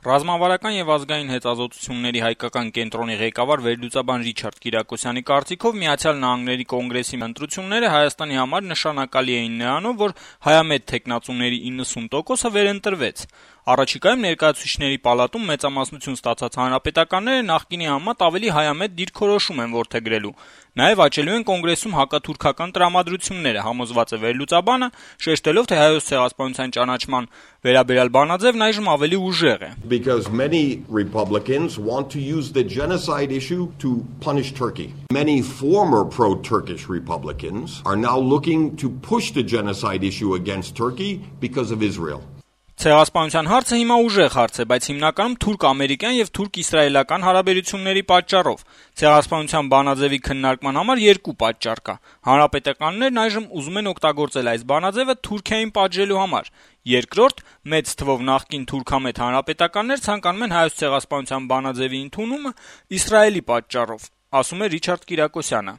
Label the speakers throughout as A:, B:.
A: Ռազմավարական եւ ազգային հետազոտությունների հայկական կենտրոնի ղեկավար վերլուծաբան Ռիչարդ Կիրակոսյանի կարծիքով Միացյալ Նահանգների կոնգրեսի ընտրությունները Հայաստանի համար նշանակալի էին նրանով, որ հայամետ թեկնածուների 90%-ը վերընտրվեց։ Առաջիկայում ներկայացուցիչների պալատում մեծամասնություն ստացած հանրապետականները նախկինի համեմատ ավելի հայամետ դիրքորոշում են որդեգրելու։ Նաեւ աճելու են կոնգրեսում հակաթուրքական տրամադրությունները, համոզված է վերլուծաբանը, շեշտելով, թե Հայոց ցեղասպանության ճանաչման վերաբերյալ բանաձևն այժմ ավելի ուժեղ է։
B: Because many Republicans want to use the genocide issue to punish Turkey. Many former pro-Turkish Republicans are now looking to push the genocide issue against Turkey because of Israel.
A: Ցեղասպանության հարցը հիմա ուժեղ հարց է, բայց հիմնականում թուրք-ամերիկյան եւ թուրք-իսրայելական հարաբերությունների պատճառով։ Ցեղասպանության բանաձևի քննարկման համար երկու պատճառ կա։ Հանրապետականներն այժմ ուզում են օգտագործել այս բանաձևը Թուրքիային պատժելու համար։ Երկրորդ, մեծ թվով նախկին թուրքամետ հանրապետականներ ցանկանում են Հայոց ցեղասպանության բանաձևի ընդունումը Իսրայելի պատճառով, ասում է Ռիչարդ Կիրակոսյանը։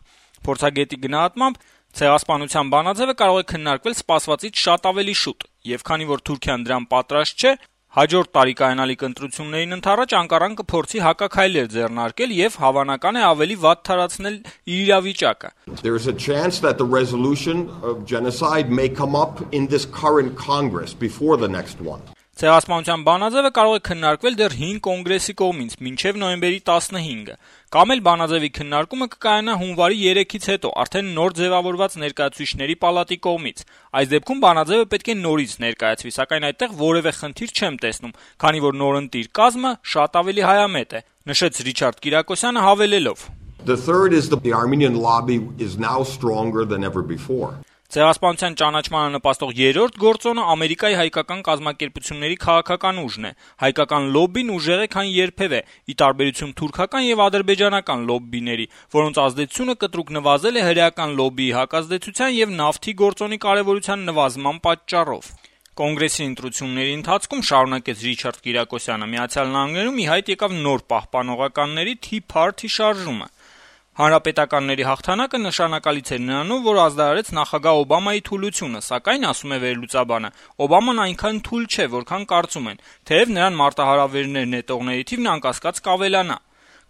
A: Փորձագետի գնահատմամբ ցեղասպանության բանաձևը կարող է քննարկվել սպասվածից շատ ավելի շուտ, եւ քանի որ Թուրքիան դրան պատրաստ չէ, հաջորդ տարի կայանալիք ընտրություններին ընդառաջ Անկարան կփորձի հակաքայլեր ձեռնարկել եւ հավանական է ավելի վատ թարացնել իր իրավիճակը։
B: There is a chance that the resolution of genocide may come up in this current Congress before the next one.
A: Ցեղասպանության բանաձևը կարող է քննարկվել դեռ 5 կոնգրեսի կողմից մինչև նոյեմբերի 15-ը։ Կամ էլ բանաձևի քննարկումը կկայանա հունվարի 3-ից հետո, արդեն նոր ձևավորված ներկայացուցիչների պալատի կողմից։ Այս դեպքում բանաձևը պետք է նորից ներկայացվի, սակայն այդտեղ որևէ խնդիր չեմ տեսնում, քանի որ նորընտիր կազմը շատ ավելի հայամետ է, նշեց Ռիչարդ Կիրակոսյանը հավելելով.
B: The third is the Armenian lobby is now stronger than ever before.
A: Ցեղասպանության ճանաչմանը նպաստող երրորդ գործոնը Ամերիկայի հայկական կազմակերպությունների քաղաքական ուժն է։ Հայկական լոբբին ուժեղ է, քան երբևէ, ի տարբերություն թուրքական եւ ադրբեջանական լոբբիների, որոնց ազդեցությունը կտրուկ նվազել է հրեական լոբբիի հակազդեցության եւ նավթի գործոնի կարեւորության նվազման պատճառով։ Կոնգրեսի ընտրությունների ընթացքում, շարունակեց Ռիչարդ Կիրակոսյանը, Միացյալ Նահանգներում ի հայտ եկավ նոր պահպանողականների Tea Party շարժումը։ Հանրապետականների հաղթանակը նշանակալից էր նրանով, որ ազդարարեց նախագահ Օբամայի թուլությունը, սակայն, ասում է վերլուծաբանը, Օբաման այնքան թույլ չէ, որքան կարծում են, թեև նրան մարտահրավերներ նետողների թիվն անկասկած կավելանա։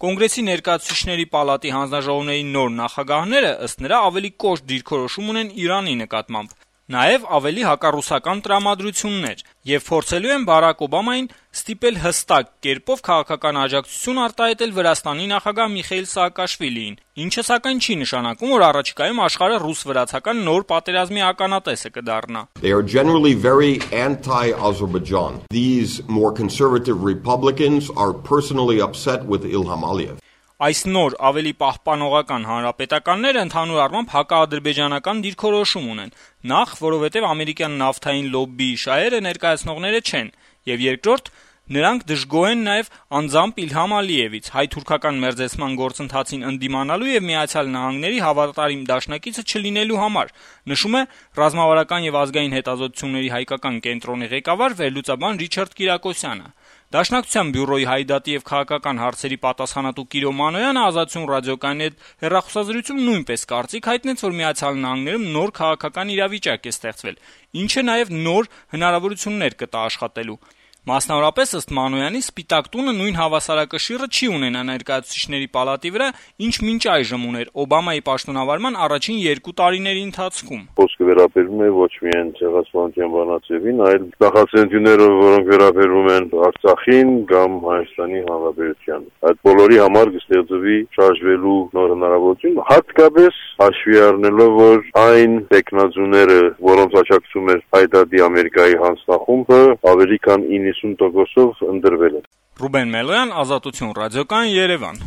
A: Կոնգրեսի ներկայացուցիչների պալատի հանձնաժողովների նոր նախագահները, ըստ նրա, ավելի կոշտ դիրքորոշում ունեն Իրանի նկատմամբ, նաև ավելի հակառուսական տրամադրություններ եւ փորձելու են Բարակ Օբամային ստիպել հստակ կերպով քաղաքական աջակցություն արտահայտել Վրաստանի նախագահ Միխեիլ Սաակաշվիլիին, ինչը սակայն չի նշանակում, որ առաջիկայում աշխարհը ռուս-վրացական նոր պատերազմի ականատեսը կդառնա։
B: They are generally very anti-Azerbaijan. These more conservative Republicans are personally upset with Ilham Aliyev.
A: Այս նոր ավելի պահպանողական հանրապետականները ընդհանուր առմամբ հակաադրբեջանական դիրքորոշում ունեն, նախ, որովհետև ամերիկյան նավթային լոբբիի շահերը ներկայացնողները չեն, եւ երկրորդ, նրանք դժգոհ են նաեւ անձամբ Իլհամ Ալիևից, հայ-թուրքական մերձեցման գործընթացին ընդդիմանալու եւ Միացյալ Նահանգների հավատարիմ դաշնակիցը չլինելու համար, նշում է ռազմավարական եւ ազգային հետազոտությունների հայկական կենտրոնի ղեկավար վերլուծաբան Ռիչարդ Կիրակոսյանը։ Դաշնակցության բյուրոյի հայդատի եւ քաղաքական հարցերի պատասխանատու Կիրո Մանոյանը Ազատություն ռադիոկայանի հետ հեռախոսազրույցում նույնպես կարծիք հայտնեց, որ Միացյալ Նահանգներում նոր քաղաքական իրավիճակ է ստեղծվել, ինչը նաեւ նոր հնարավորություններ կտա աշխատելու։ Մասնավորապես, ըստ Մանոյանի, Սպիտակ տունը նույն հավասարակշիռը չի ունենա ներկայացուցիչների պալատի վրա, ինչ մինչ այժմ ուներ Օբամայի պաշտոնավարման առաջին 2 տարիների ընթացքում։
C: Խոսքը վերաբերում է ոչ միայն ցեղասպանության բանաձևին, այլ նախաձեռնությունները, որոնք վերաբերում են Արցախին կամ Հայաստանի Հանրապետությանը։ Այդ բոլորի համար կստեղծվի շարժվելու նոր հնարավորություն, հատկապես հաշվի առնելով, որ այն տեխնազուները, որոնց աջակցում է հայդատի Ամերիկայի հանձնախումբը, ավելի քան 90%-ով ընդրվել են։
A: Ռուբեն Մելոյան, Ազատություն ռադիոկայան, Երևան։